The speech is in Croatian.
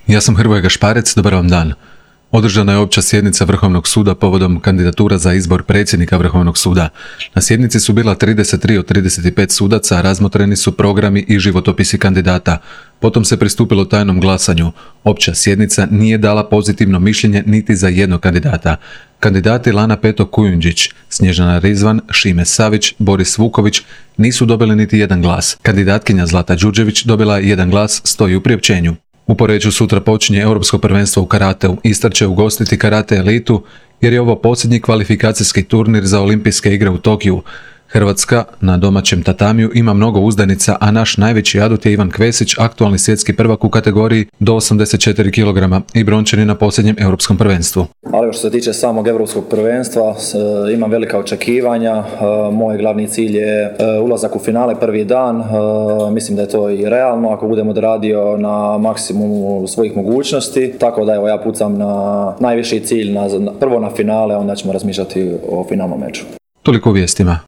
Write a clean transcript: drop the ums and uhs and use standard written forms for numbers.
Ja sam Hrvoje Gašparec, dobar vam dan. Održana je opća sjednica Vrhovnog suda povodom kandidatura za izbor predsjednika Vrhovnog suda. Na sjednici su bila 33 od 35 sudaca, razmotreni su programi i životopisi kandidata. Potom se pristupilo tajnom glasanju. Opća sjednica nije dala pozitivno mišljenje niti za jednog kandidata. Kandidati Lana Peto Kujundžić, Snježana Rizvan, Šime Savić, Boris Vuković nisu dobili niti jedan glas. Kandidatkinja Zlata Đurđević dobila je jedan glas, stoji u priopćenju. U Poreču sutra počinje Europsko prvenstvo u karateu. Istar će ugostiti karate elitu jer je ovo posljednji kvalifikacijski turnir za olimpijske igre u Tokiju. Hrvatska na domaćem tatamiju ima mnogo uzdanica, a naš najveći adut je Ivan Kvesić, aktualni svjetski prvak u kategoriji do 84 kg i brončani na posljednjem Europskom prvenstvu. Ali što se tiče samog Europskog prvenstva, imam velika očekivanja. Moj glavni cilj je ulazak u finale prvi dan. Mislim da je to i realno ako budem odradio na maksimumu svojih mogućnosti. Tako da evo, ja pucam na najviši cilj, prvo na finale, onda ćemo razmišljati o finalnom meču. Toliko u vijestima.